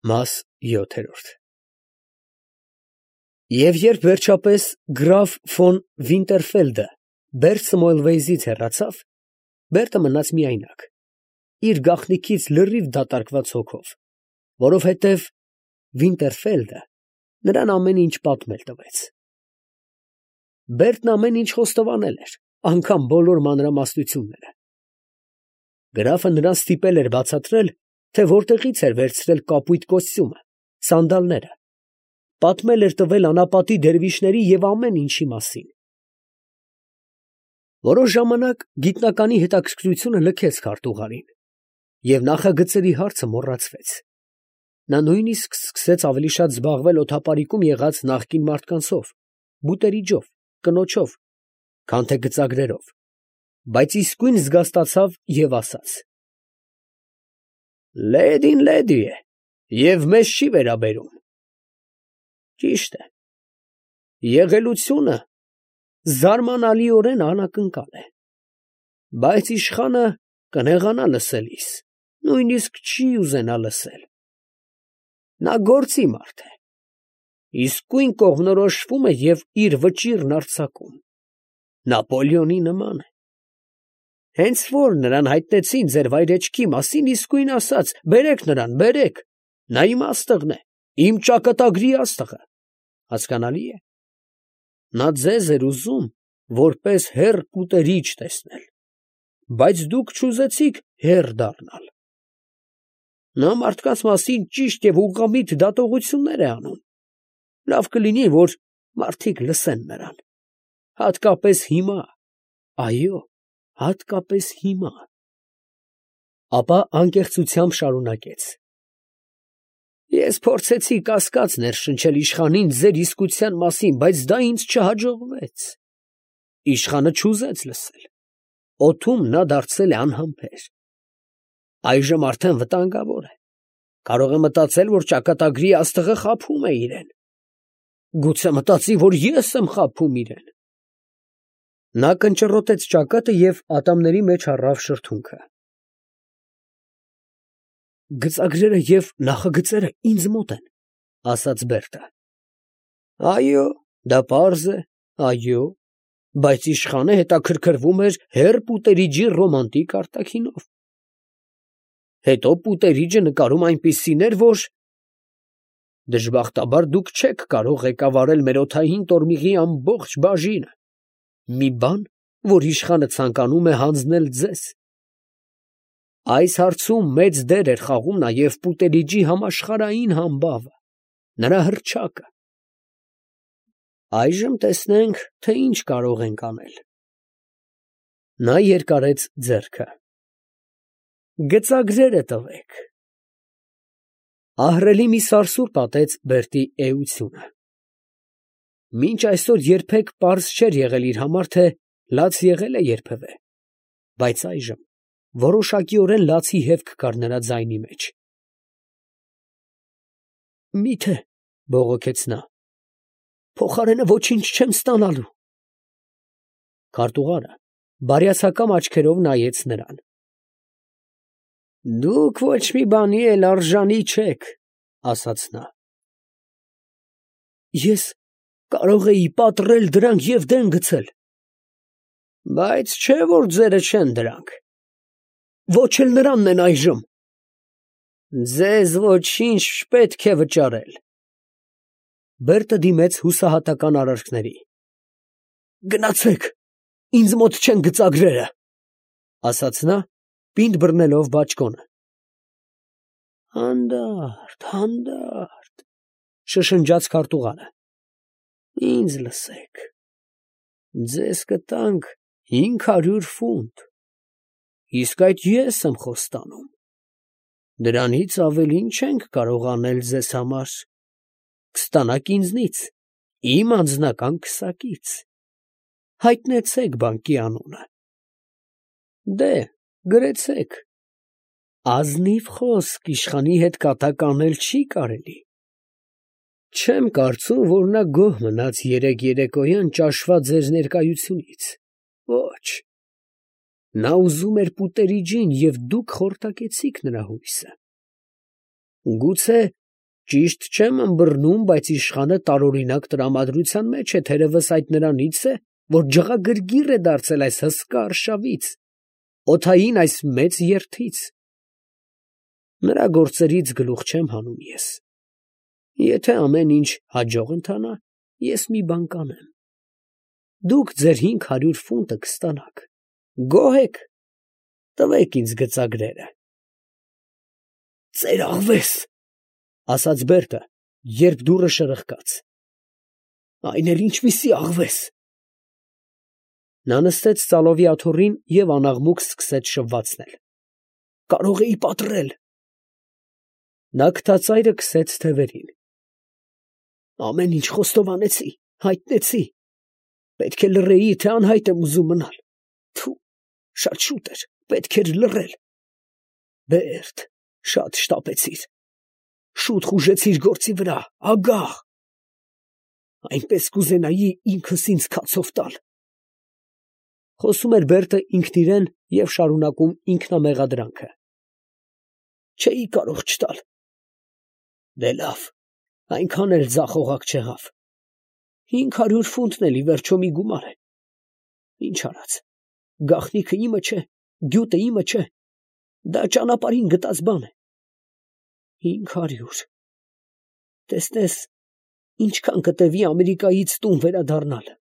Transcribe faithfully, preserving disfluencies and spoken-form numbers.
Մաս յոթերորդ Եվ երբ վերջապես գրաֆ ֆոն Վինտերֆելդը Բերտ Սմոյլվեյզից հեռացավ, Բերտը մնաց միայնակ, իր գաղտնիքից լրիվ դատարկված հոգով, որովհետև Վինտերֆելդը նրան ամեն ինչ պատմել տվեց։ Բերտն ամեն ինչ խոստովանել էր, անգամ բոլոր մանրամասնությունները։ Գրաֆը նրան ստիպել էր բացատրել, թե որտեղից էր վերցրել կապույտ կոստյումը, սանդալները, պատմել էր տվել անապատի դերվիշների և ամեն ինչի մասին։ Որոշ ժամանակ գիտնականի հետաքրքրությունը լքեց քարտուղարին, և նախագծերի հարցը մոռացվեց։ Նա նույնիսկ սկսեց ավելի շատ զբաղվել օդապարիկում եղած նախկին մարդկանցով, բուտերիջով, կնոջով, քան թե գծագրերով, բայց իսկույն զգաստացավ և ասաց. «Լեդին լեդի է և մեզ չի վերաբերում»։ Ճիշտ է, եղելությունը զարմանալիորեն անակնկալ է, բայց իշխանը կնեղանա լսելիս, նույնիսկ չի ուզենա լսել։ Նա գործի մարդ է, իսկույն կողմնորոշվում է և իր վճիռն արձակում, Նապոլեոնի նման է։ Հենց որ նրան հայտնեցին ձեր վայրեջքի մասին, իսկույն ասաց. «Բերեք նրան, բերեք, նա իմ աստղն է, իմ ճակատագրի աստղը», հասկանալի է։ Նա ձեզ էր ուզում որպես հեռ պուտերիչ տեսնել, բայց դուք չուզեցիք հեռ դառնալ։ Նա մարդկանց մասին ճիշտ և ուղղամիտ դատողություններ է անում, լավ կլինի, որ մարդիկ լսեն նրան, հատկապես հիմա, այո, հատկապես հիմա։ Ապա անկեղծությամբ շարունակեց. Ես փորձեցի կասկած ներշնչել իշխանին ձեր իսկության մասին, բայց դա ինձ չհաջողվեց։ Իշխանը չուզեց լսել, օդում նա դարձել է անհամբեր։ Այժմ արդեն վտանգավոր է, կարող է մտածել, որ ճակատագրի աստղը խաբում է իրեն։ Գուցե մտածի, որ ես եմ խաբում իրեն։ Նա կնճռոտեց ճակատը և ատամների մեջ առավ շրթունքը։ Գծագրերը և նախագծերը ինձ մոտ են, ասաց Բերտը։ Այո, դա պարզ է, այո, բայց իշխանը հետաքրքրվում էր հեռ պուտերիջի ռոմանտիկ արտաքինով։ Հետո պուտերիջը նկարում այնպիսին էր, որ… Դժբախտաբար դուք չեք կարող ղեկավարել մեր օդային տորմիղի ամբողջ բաժինը, մի բան, որ իշխանը ցանկանում է հանձնել ձեզ։ Այս հարցում մեծ դեր էր խաղում նաև պուտերիջի համաշխարհային համբավը, նրա հռչակը։ Այժմ տեսնենք, թե ինչ կարող ենք անել։ Նա երկարեց ձեռքը։ Գծագրերը տվեք։ Ահռելի մի սարսուռ պատեց Բերտի էությունը։ Մինչ այսօր երբեք պարզ չէր եղել իր համար, թե լաց եղել է երբևէ, բայց այժմ որոշակիորեն լացի հևք կար նրա ձայնի մեջ։ Մի՞թե, բողոքեց նա, փոխարենը ոչինչ չեմ ստանալու։ Քարտուղարը բարյացակամ աչքերով նայեց նրան։ Դուք ոչ մի բանի էլ արժանի չեք, ասաց նա։ Ես կարող էի պատռել դրանք և դեն գցել։ Բայց չէ՞ որ ձերը չեն դրանք։ Ոչ էլ նրանն են այժմ։ Ձեզ ոչինչ չպետք է վճարել։ Բերտը դիմեց հուսահատական արարքների։ Գնացեք, ինձ մոտ չեն գծագրերը, ասաց նա, պինդ բռնելով բաճկոնը։ Հանդարտ, հանդարտ, շշնջաց քարտուղարը։ Ինձ լսեք, ձեզ կտանք հինգ հարյուր ֆունտ, իսկ այդ ես եմ խոստանում։ Դրանից ավելին չենք կարող անել ձեզ համար, կստանաք ինձնից, իմ անձնական քսակից։ Հայտնեցեք բանկի անունը։ Դե, գրեցեք։ Ազնիվ խոսք իշխանի հետ կատակ անել չի կարելի։ Չեմ կարծում, որ նա գոհ մնաց երեկ երեկոյան ճաշված ձեր ներկայությունից, ոչ։ Նա ուզում էր պուտերիջին, և դուք խորտակեցիք նրա հույսը։ Գուցե Ճիշտ չեմ ըմբռնում, բայց իշխանը տարօրինակ տրամադրության մեջ է, թերևս այդ նրանից է, որ ջղագրգիռ է դարձել այս հսկա արշավից, օդային այս մեծ երթից։ Նրա գործերից գլուխ չեմ հանում ես։ Եթե ամեն ինչ հաջող ընթանա, ես մի բան կանեմ. դուք ձեր հինգ հարյուր ֆունտը կստանաք, գոհ եք, տվեք ինձ գծագրերը։ Ծեր աղվես, ասաց Բերտը, երբ դուռը շրխկաց։ Այն էլ ինչպիսի աղվես։ Նա նստեց ծալովի աթոռին և անաղմուկ սկսեց շվվացնել։ Կարող էի պատռել։ Նա քթածայրը քսեց թևերին։ Ամեն ինչ խոստովանեցի, հայտնեցի։ Պետք է լռեի, թե անհայտ եմ ուզում մնալ։ Թու, շատ շուտ էր, պետք էր լռել։ Բերտ, շատ շտապեցիր։ Շուտ խուժեցիր գործի վրա, ագահ։ Այնպես կուզենայի ինքս ինձ քացով տալ։ Խոսում էր Բերտը ինքն իրեն և շարունակում ինքնամեղադրանքը։ Չէի կարող չտալ։ Դե լավ, այնքան էլ ձախողակ չեղավ։ Հինգ հարյուր ֆունտն էլ ի վերջո մի գումար է։ Ինչ արած, գաղտնիքը իմը չէ, գյուտը իմը չէ, դա ճանապարհին գտած բան է։ Հինգ հարյուր… Տեսնես, ինչքան կտևի Ամերիկայից տուն վերադառնալը։